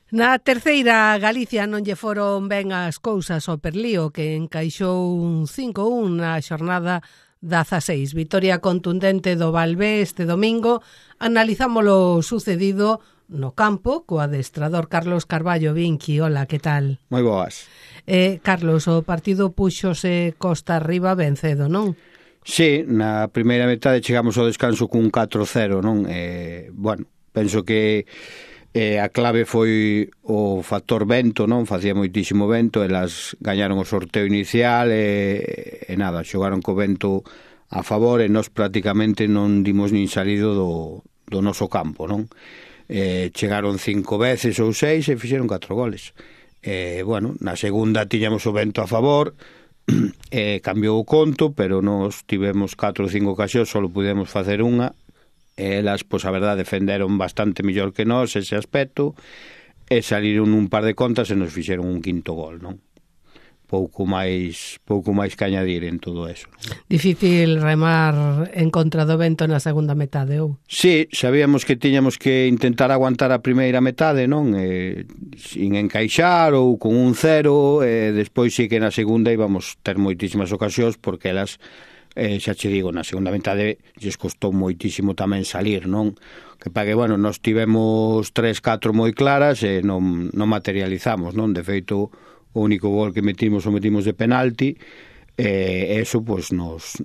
Na terceira, Galicia non lle foron ben as cousas ao Perlío, que encaixou un 5-1 na xornada 16. Vitoria contundente do Valvé este domingo. Analizámolo sucedido no campo co adestrador Carlos Carballo. Vinqui, hola, que tal? Moi boas. Carlos, o partido puxose costa arriba ben cedo, non? Sí, na primeira metade chegamos ao descanso cun 4-0, non? Bueno, penso que a clave foi o factor vento, non? Facía moitísimo vento, elas gañaron o sorteo inicial e nada, xogaron co vento a favor e nós prácticamente non dimos nin salido do noso campo, non? Chegaron 5 veces ou 6 e fixeron 4 goles. Bueno, na segunda tiñamos o vento a favor, cambiou o conto, pero nós tivemos 4 ou 5 ocasións, só pudemos facer unha. Elas, pois a verdade, defenderon bastante mellor que nós ese aspecto e saliron un par de contas e nos fixeron un quinto gol, non? Pouco máis que añadir en todo eso, non? Difícil remar en contra do vento na segunda metade, ou? Sí, sabíamos que tiñamos que intentar aguantar a primeira metade, non? Sin encaixar ou con un 0, e despois sí que na segunda íbamos ter moitísimas ocasións porque elas... xa che digo, na segunda metade lles costou moitísimo tamén salir, non? Que pague, bueno, nós tivemos 3-4 moi claras e non materializamos, non? De feito, o único gol que metimos de penalti, e eso, pois, nos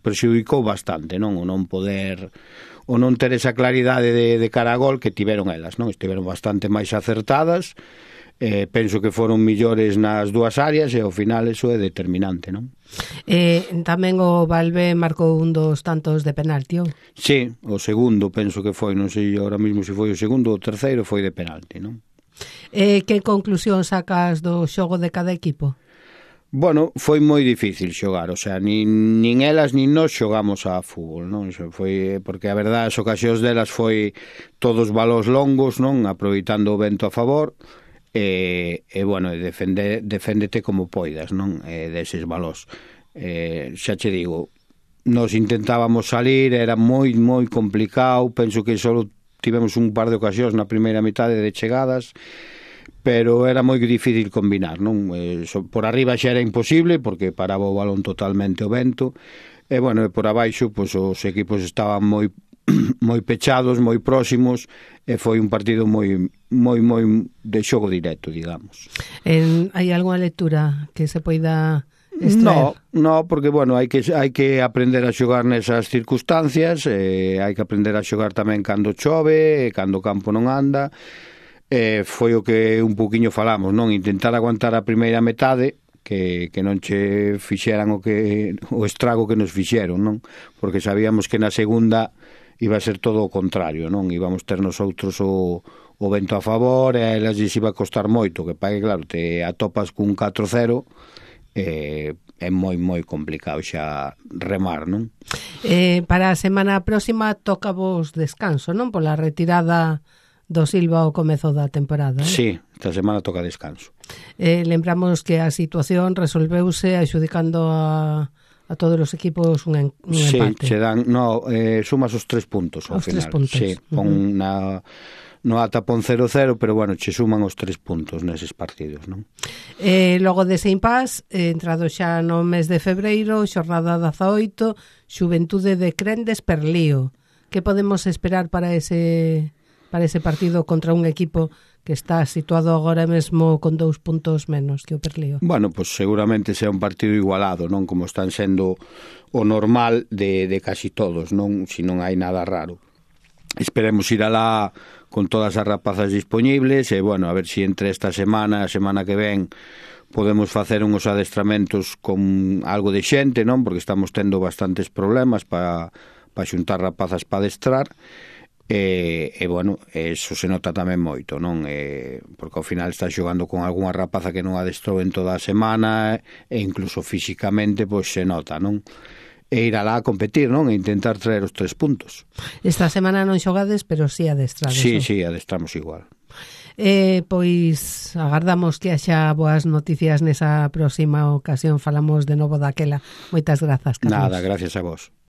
prexudicou bastante, non? O non poder, o non ter esa claridade de cara a gol que tiveron elas, non? Estiveron bastante máis acertadas, penso que foron millores nas dúas áreas e ao final eso é determinante, non? Tamén o Valvé marcou un dos tantos de penalti, ou? Sí, o segundo penso que foi, non sei ahora mismo se foi o segundo ou o terceiro, foi de penalti, non? Que conclusión sacas do xogo de cada equipo? Bueno, foi moi difícil xogar, o sea, nin elas nin nós xogamos a fútbol, non? Foi porque a verdade as ocasións delas foi todos balóns longos, non? Aproveitando o vento a favor. Bueno, deféndete como poidas, non? Deses balós. Xa che digo, nos intentábamos salir, era moi complicado, penso que só tivemos un par de ocasións na primeira metade de chegadas, pero era moi difícil combinar, non? Por arriba xa era imposible porque paraba o balón totalmente o vento, e bueno, por abaixo pois os equipos estaban moi pechados, moi próximos, e foi un partido moi de xogo directo, digamos. Hai algunha lectura que se poida extraer? No, porque, bueno, hai que aprender a xogar nesas circunstancias, hai que aprender a xogar tamén cando chove, cando o campo non anda, foi o que un poquinho falamos, non? Intentar aguantar a primeira metade, que non che fixeran o estrago que nos fixeron, non? Porque sabíamos que na segunda iba a ser todo o contrario, non? Íbamos ter nosotros o vento a favor e a elas lles iba a costar moito, que pague, claro, te atopas cun 4-0, é moi complicado xa remar, non? Para a semana próxima toca vos descanso, non? Pola retirada do Silva ao comezo da temporada, non? Sí, esta semana toca descanso. Lembramos que a situación resolveuse axudicando a todos os equipos un empate. Sí, che dan, sumas os 3 puntos ao final. 3 puntos. Sí, no ata pon 0-0, pero bueno, che suman os 3 puntos neses partidos, non? Logo dese impás, entrado xa no mes de febreiro, xornada 18, Xuventude de Crendes Perlío. Que podemos esperar para ese partido contra un equipo que está situado agora mesmo con 2 puntos menos que o Perlío? Bueno, pues seguramente sea un partido igualado, non? Como están sendo o normal de casi todos, non? Si non hai nada raro. Esperemos ir alá con todas as rapazas dispoñibles e, bueno, a ver si entre esta semana, a semana que ven, podemos facer uns adestramentos con algo de xente, non? Porque estamos tendo bastantes problemas para xuntar rapazas para adestrar. Bueno, eso se nota tamén moito, non? Porque ao final está xogando con algunha rapaza que non adestrou en toda a semana e incluso físicamente pois se nota, non? E ir alá a competir, non? E intentar traer os 3 puntos. Esta semana non xogades, pero sí adestrades. Sí, adestramos igual. Pois agardamos que haxa boas noticias nesa próxima ocasión. Falamos de novo daquela. Moitas grazas, Carlos. Nada, gracias a vos.